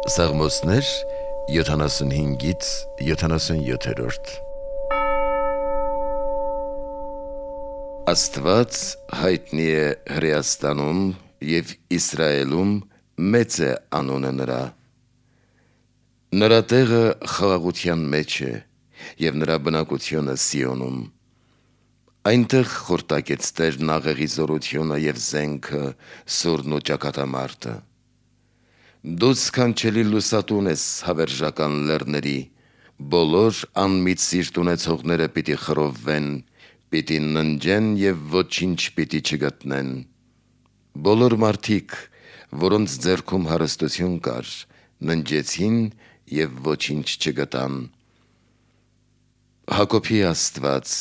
Սաղմոսներ 75-ից 77-րդ Աստված հայտնի է Հրեաստանում և Իսրայելում մեծ է անունը նրա։ Նրա տեղը խաղաղության մեջ է և նրա բնակությունը Սիոնում։ Այնտեղ խորտակեց Տերն աղեղի զորությունը և զենքը, սուրն ու ճակատամարտը։ Դու սքանչելի լուսատուն ես հավերժական լեռների, բոլոր անմիտ սիրտ ունեցողները պիտի խռովվեն, պիտի ննջեն և ոչինչ պիտի չգտնեն։ Բոլոր մարդիկ, որոնց ձեռքում հարստություն կար, ննջեցին և ոչինչ չգտան։ Հակոբի Աստված,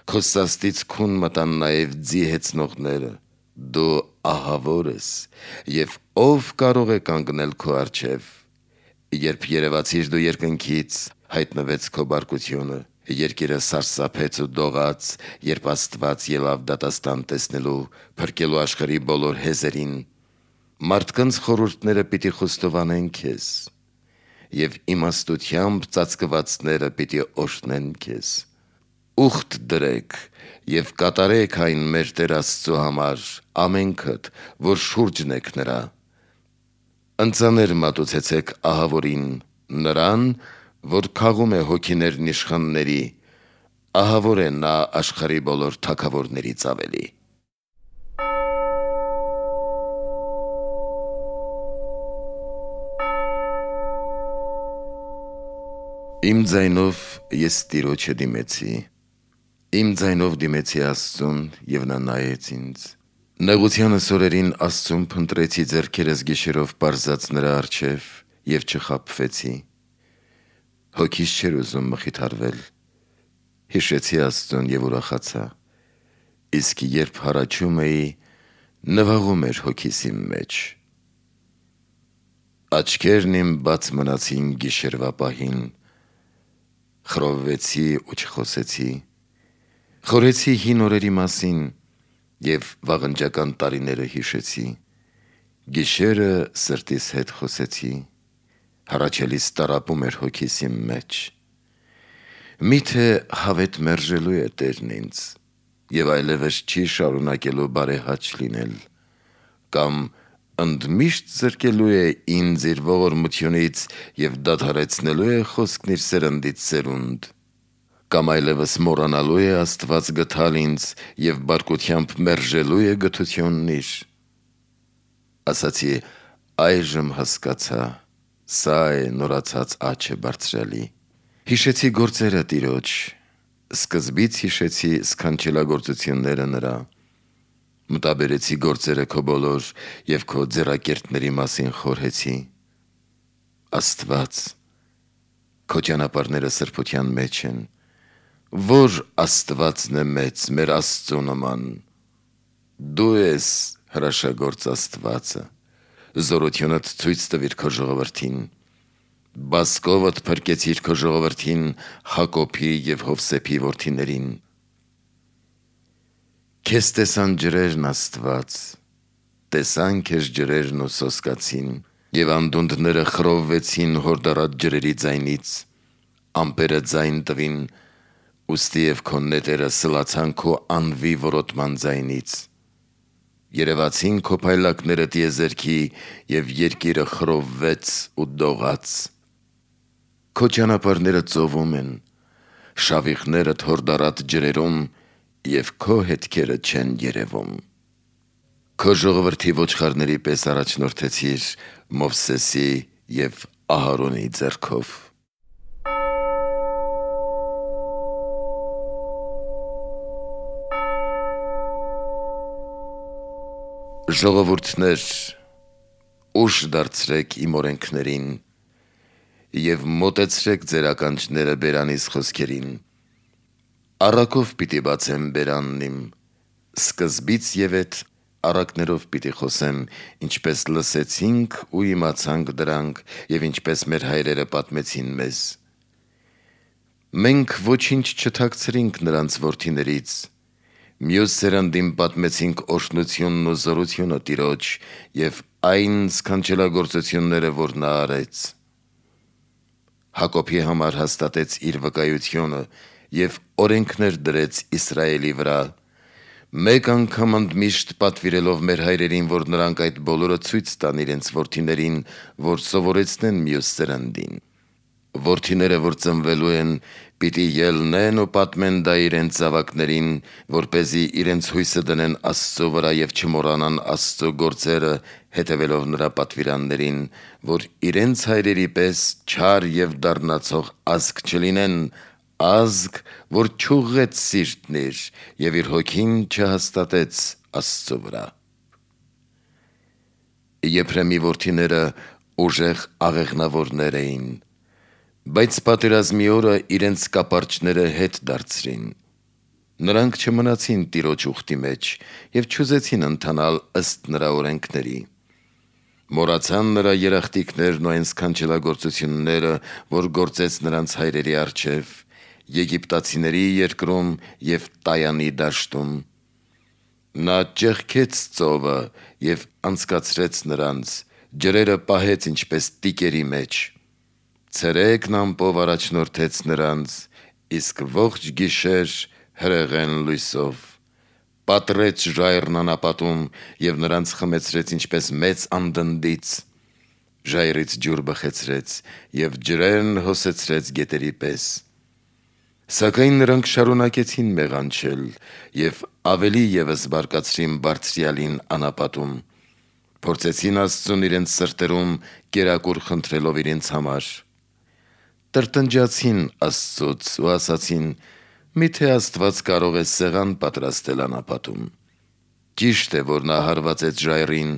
քո սաստից քուն մտան նաև ձի հեծնողները, դու ահավոր ես, և ո՞վ կարող է կանգնել քո առջև։ Երբ երևացիր դու երկնքից, հայտնվեց քո բարկությունը, երկիրը սարսափեց ու դողաց, երբ Աստված ելավ դատաստան տեսնելու, փրկելու աշխարհի բոլոր հեզերին։ Մարդկանց խորհուրդները պիտի խոստովանեն քեզ, և իմաստությամբ ծածկվածները պիտի օրհնեն քեզ։ Ուխտ դրեք և կատարեք այն մեր Տեր Աստծու համար, ամենքդ, որ շուրջն եք նրա։ Ընծաներ մատուցեցեք ահավորին, նրան, որ քաղում է հոգիներն իշխանների, ահավոր է նա աշխարհի բոլոր թագավորներից ավելի։ Իմ ձայնով ես Տիրոջը դիմեցի, իմ ձայնով դիմեցի Աստծուն, և նա նայեց ինձ։ Նեղությանս օրերին Աստծուն փնտրեցի, ձեռքերս գիշերով պարզած նրա առջև, և չխաբվեցի։ Հոգիս չէր ուզում մխիթարվել, հիշեցի Աստծուն և ուրախացա, իսկ երբ հառաչում էի, նվաղում էր հոգիս իմ մեջ։ Աչքերն իմ բաց մնացին գիշերվա պահին, խռովվեցի ու չխոսեցի։ Խորհեցի հին օրերի մասին և վաղնջական տարիները հիշեցի։ Գիշերը սրտիս հետ խոսեցի, հառաչելիս տառապում էր հոգիս իմ մեջ։ Միթե հավետ մերժելու է Տերն ինձ, և այլևս չի շարունակելու բարեհաճ լինել, կամ ընդմիշտ զրկելու է ինձ իր ողորմությունից և դադարեցնելու է խոսքն իր սերնդից սերունդ, կամ այլևս մոռանալու է Աստված գթալ ինձ և բարկությամբ մերժելու է գթությունն իր։ Ասացի. այժմ հասկացա, սա է նորացած աչը բարձրալի։ Հիշեցի գործերը Տիրոջ, սկզբից հիշեցի սքանչելագործությունները նրա։ Մտաբերեցի գործերը քո բոլոր և քո ձեռակերտների մասին խորհեցի։ Աստված, քո ճանապարհները սրբության մեջ են։ Ո՞ր Աստվածն է մեծ մեր Աստծու նման։ Դու ես հրաշագործ Աստվածը, զորությունդ ցույց տվիր քո ժողովրդին։ Բազկովդ փրկեցիր քո ժողովրդին, Հակոբի և Հովսեփի որդիներին։ Քեզ տեսան ջրերն, Աստված, տեսան քեզ ջրերն ու սոսկացին, և անդունդները խռովվեցին հորդառատ ջրերի ձայնից, ամպերը ձայն տվին, ուստիև քո նետերը սլացան քո անվի որոտման ձայնից։ Երևացին քո փայլակները տիեզերքի, և երկիրը խռովվեց ու դողաց։ Քո ճանապարհները ծովում են, շավիղներդ հորդառատ ջրերում, և քո հետքերը չեն երևում։ Քո ժողովրդի ոչխարների պես առաջնորդեցիր Մովսեսի և Ահարոնի ձեռքով։ Ժողովուրդներ, ուշ դարձրեք իմ օրենքներին և մոտեցրեք ձեր ականջները բերանիս խոսքերին։ Առակով պիտի բացեմ բերանն իմ, սկզբից և էդ առակներով պիտի խոսեմ, ինչպես լսեցինք ու իմացանք դրանք, և ինչպես մեր հայրերը պատմեցին մեզ։ Մենք ոչինչ չթաքցրինք նրանց որդիներից, Մյուս սերնդին պատմեցինք օրհնությունն ու զորությունը Տիրոջ եւ այն սքանչելագործությունները, որ նա արեց։ Հակոբի համար հաստատեց իր վկայությունը եւ օրենքներ դրեց Իսրայելի վրա, մեկ անգամ ընդմիշտ պատվիրելով մեր հայրերին, որ նրանք այդ բոլորը ցույց տան իրենց որդիներին, որ սովորեցնեն մյուս սերնդին։ Որդիները, որ ծնվելու են, պիտի ելնեն ու պատմեն դա իրենց զավակներին, որպեսզի իրենց հույսը դնեն Աստծո վրա եւ չմոռանան Աստծո գործերը, հետևելով նրա պատվիրաններին, որ իրենց հայրերի պես չար եւ դառնացող ազգ չլինեն, ազգ, որ չուղղեց սիրտն իր եւ իր հոգին չհաստատեց Աստծո վրա։ Եփրեմի որդիները ուժեղ աղեղնավորներ էին, բայց պատերազմի օրը իրենց կապարճները հետ դարձրին։ Նրանք չմնացին Տիրոջ ուխտի մեջ եւ չուզեցին ընթանալ ըստ նրա օրենքների։ Մոռացան նրա երախտիկներն ու այն սքանչելագործությունները, որ գործեց նրանց հայրերի առջև, Եգիպտացիների երկրում եւ Տայանի դաշտում։ Նա ճեղքեց ծովը եւ անցկացրեց նրանց, ջրերը պահեց ինչպես տիկերի մեջ։ Ցերեկն ամպով առաջնորդեց նրանց, իսկ ողջ գիշեր հրեղեն լույսով։ Պատռեց ժայռն անապատում եւ նրանց խմեցրեց ինչպես մեծ անդնդից։ Ժայռից ջուր բխեցրեց եւ ջրերն հոսեցրեց գետերի պես։ Սակայն նրանք շարունակեցին մեղանչել եւ ավելի եւս բարկացրին Բարձրյալին անապատում։ Փորձեցին Աստծուն իրենց սրտերում կերակուր խնդրելով իրենց համար։ Տրտնջացին Աստծուց ու ասացին. «Միթե Աստված կարող է սեղան պատրաստել անապատում»։ Ճիշտ է, որ նա հարվածեց ժայռին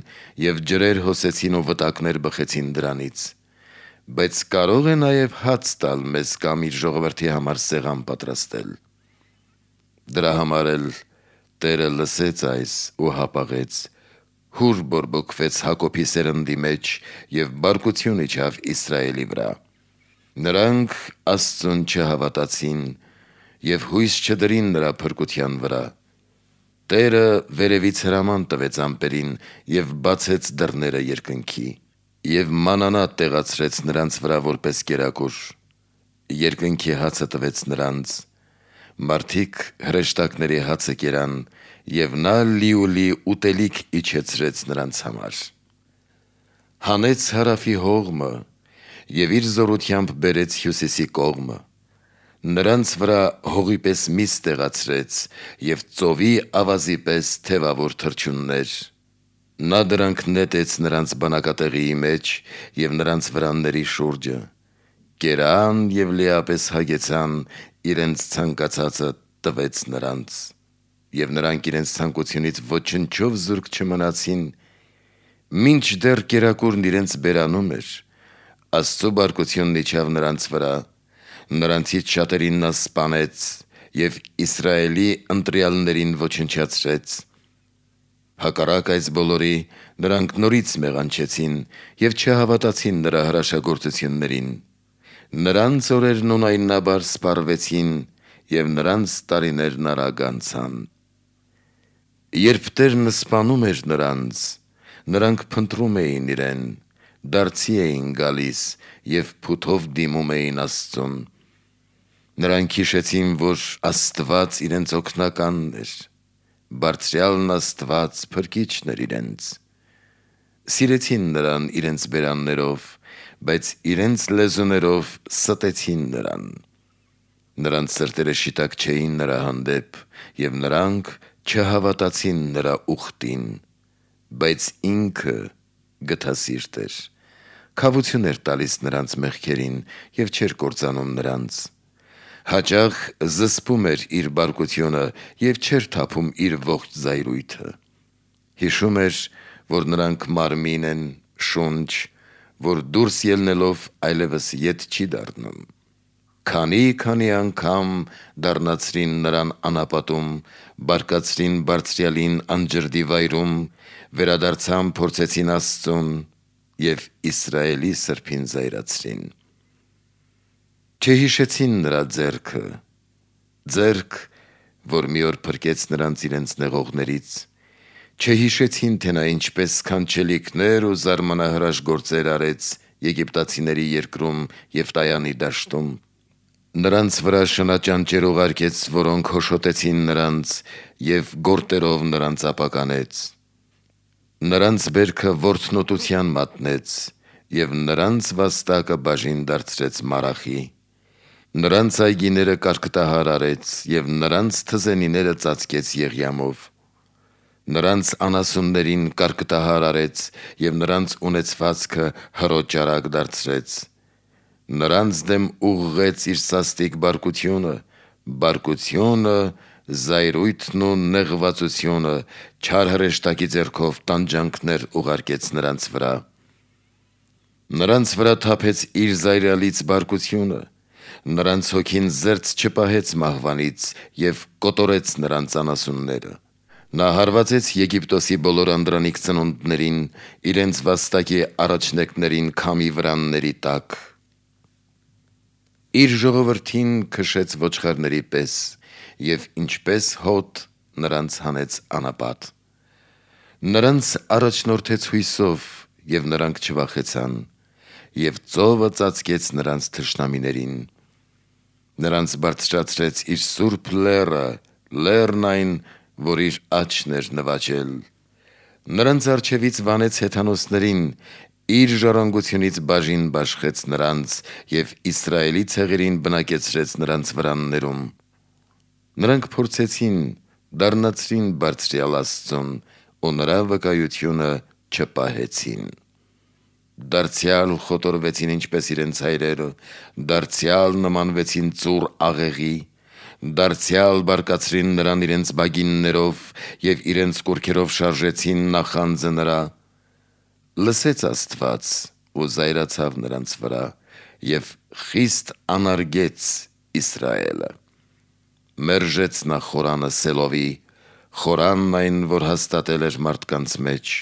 եւ ջրեր հոսեցին ու վտակներ բխեցին դրանից, բայց կարող է նաեւ հաց տալ մեզ կամ իր ժողովրդի համար սեղան պատրաստել։ Դրա համար էլ Տերը լսեց այս ու հապաղեց, հուր բորբոքվեց Հակոբի սերնդի մեջ եւ բարկություն իջավ Իսրայելի վրա։ Նրանք Աստծուն չհավատացին եւ հույս չդրին նրա փրկության վրա։ Տերը վերևից հրաման տվեց ամպերին եւ բացեց դռները երկնքի եւ մանանա տեղացրեց նրանց վրա որպես կերակուր։ Երկնքի հացը տվեց նրանց, մարդիկ հրեշտակների հացը կերան եւ նա լիուլի ուտելիք իջեցրեց նրանց համար։ Հանեց հարավի հողմը եւ իր զորությամբ բերեց հյուսիսի կողմը։ Նրանց վրա հողի պես միս տեղացրեց եւ ծովի ավազի պես թևավոր թռչուններ։ Նա դրանք նետեց նրանց բնակատեղիի մեջ եւ նրանց վրանների շուրջը։ Կերան եւ լիապես հագեցան, իրենց ցանկացածը տվեց նրանց։ Եվ նրանք իրենց ցանկությունից ոչնչով զուրկ չմնացին, մինչ դեռ կերակուրն իրենց բերանում էր, Աստծո բարկությունն իջավ նրանց վրա, նրանցից շատերին նա սպանեց եւ Իսրայելի ընտրյալներին ոչնչացրեց։ Հակառակ այս բոլորի, նրանք նորից մեղանչեցին եւ չհավատացին նրա հրաշագործություններին։ Նրանց օրերն ունայնաբար սպառվեցին եւ նրանց տարիներն արագ անցան։ Երբ Տերն սպանում էր նրանք փնտրում էին իրեն, դարձի էին գալիս եւ փութով դիմում էին Աստծուն։ Նրանք հիշեցին, որ Աստված իրենց օգնականն էր, Բարձրյալն Աստված փրկիչն էր իրենց։ Սիրեցին նրան իրենց բերաններով, բայց իրենց լեզուներով ստեցին նրան։ Նրանց սրտերը շիտակ չէին նրա հանդեպ եւ նրանք չհավատացին նրա ուխտին, բայց ինքը գթասիրտ էր, քավություն էր տալիս նրանց մեղքերին եւ չէր կործանում նրանց։ Հաճախ զսպում էր իր բարկությունը եւ չէր թափում իր ողջ զայրույթը։ Հիշում էր, որ նրանք մարմին են, շունչ, որ դուրս ելնելով այլևս ետ չի դառնում։ Քանի անգամ դառնացրին նրան անապատում, բարկացրին Բարձրյալին անջրդի վայրում, վերադարձան փորձեցին Աստծուն եւ Իսրայելի սրբին զայրացրին։ Չհիշեցին նրա ձեռքը, որ մի օր փրկեց նրանց իրենց նեղողներից, չհիշեցին, թե նա ինչպես սքանչելիքներ ու զարմանահրաշ գործեր արեց եգիպտացիների երկրում և Տայանի դաշտում։ Նրանց վրա շնաճանճեր ուղարկեց, որոնք հոշոտեցին նրանց և գորտերով նրանց ապականեց։ Նրանց բերքը որդնոտության մատնեց և նրանց վաստակը բաժին դարձրեց մարախի։ Նրանց այգիները կարկտահար արեց և նրանց թզենիները ծածկեց եղյամով։ Նրանց անասուններին կարկտահար արեց և նրանց ունեցվածքը հրոճարակ դարձրեց։ Նրանց դեմ ուղղեց իր սաստիկ բարկությունը, բարկությունը, զայրույթն ու նեղվածությունը, չար հրեշտակի ձեռքով տանջանքներ ուղարկեց նրանց վրա։ Նրանց վրա թափեց իր զայրալից բարկությունը, նրանց հոգին զերծ չպահեց մահվանից և կոտորեց նրանց անասունները։ Նա հարվածեց Եգիպտոսի բոլոր անդրանիկ ծնունդներին, իրենց վաստակի առաջնեկներին քամի վրանների տակ։ Իր ժողովրդին քշեց ոչխարների պես և ինչպես հոտ նրանց հանեց անապատ։ Նրանց առաջնորդեց հույսով և նրանք չվախեցան, և ծովը ծածկեց նրանց թշնամիներին։ Նրանց բարձրացրեց իր սուրբ լեռը, լեռն այն, որ իր աջն էր նվաճել։ Նրանց առջևից վանեց հեթանոսներին, իր ժառանգությունից բաժին բաշխեց նրանց և Իսրայելի ցեղերին բնակեցրեց նրանց վրաններում։ Նրանք փորձեցին, դառնացրին Բարձրյալ Աստծուն ու նրա վկայությունը չպահեցին։ Դարձյալ խոտորվեցին ինչպես իրենց հայրերը, դարձյալ նմանվեցին ծուռ աղեղի, դարձյալ բարկացրին նրան իրենց բագիններով և իրենց կուռքերով շարժեցին նախանձը նրա։ Լսեց Աստված ու զայրացավ նրանց վրա և խիստ անարգեց Իսրայելը։ Մերժեց նա խորանը Սելովի, խորանն այն, որ հաստատել էր մարդկանց մեջ։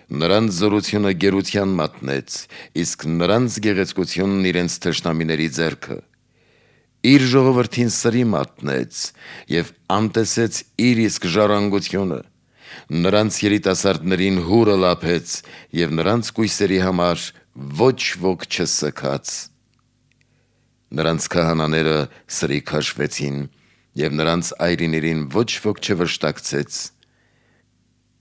Նրանց զորությունը գերության մատնեց, իսկ նրանց գեղեցկությունն իրենց թշնամիների ձեռքը։ Իր ժողովրդին սրի մատնեց և անտեսեց իր իսկ ժառանգությունը։ Նրանց երիտասարդներին հուրը լափեց և նրանց կույսերի համար ոչ ոք չսգաց։ Նրանց քահանաները սրի քաշվեցին և նրանց այրիներին ոչ ոք չվշտակցեց։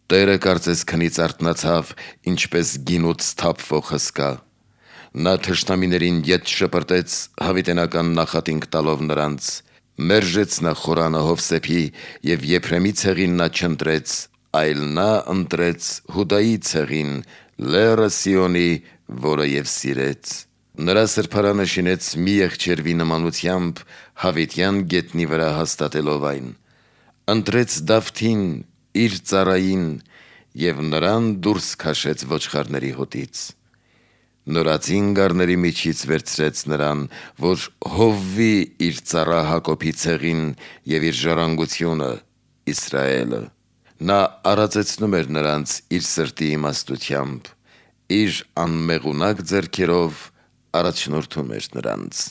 Տերը կարծես քնից արթնացավ, ինչպես գինուց թափվող հսկա։ Նա թշնամիներին ետ շպրտեց հավիտենական նախատինք տալով նրանց։ Մերժեց նա խորանը Հովսեփի և Եփրեմի ցեղին նա չընտրեց, այլ նա ընտրեց Հուդայի ցեղին, լեռը Սիոնի, որը և սիրեց։ Նրա սրբարանը շինեց մի եղջերվի նմանությամբ, հավիտյան գետնի վրա հաստատելով այն։ Ընտրեց Դավթին, իր ծառային, և նրան դուրս քաշեց ոչխարների հոտից։ Նորածին գառների միջից վերցրեց նրան, որ հովվի իր ծառա Հակոբի ցեղին և իր ժառանգությունը՝ Իսրայելը։ Նա արածեցնում էր նրանց իր սրտի իմաստությամբ, իր անմեղունակ ձեռքերով առաջնորդում էր նրանց։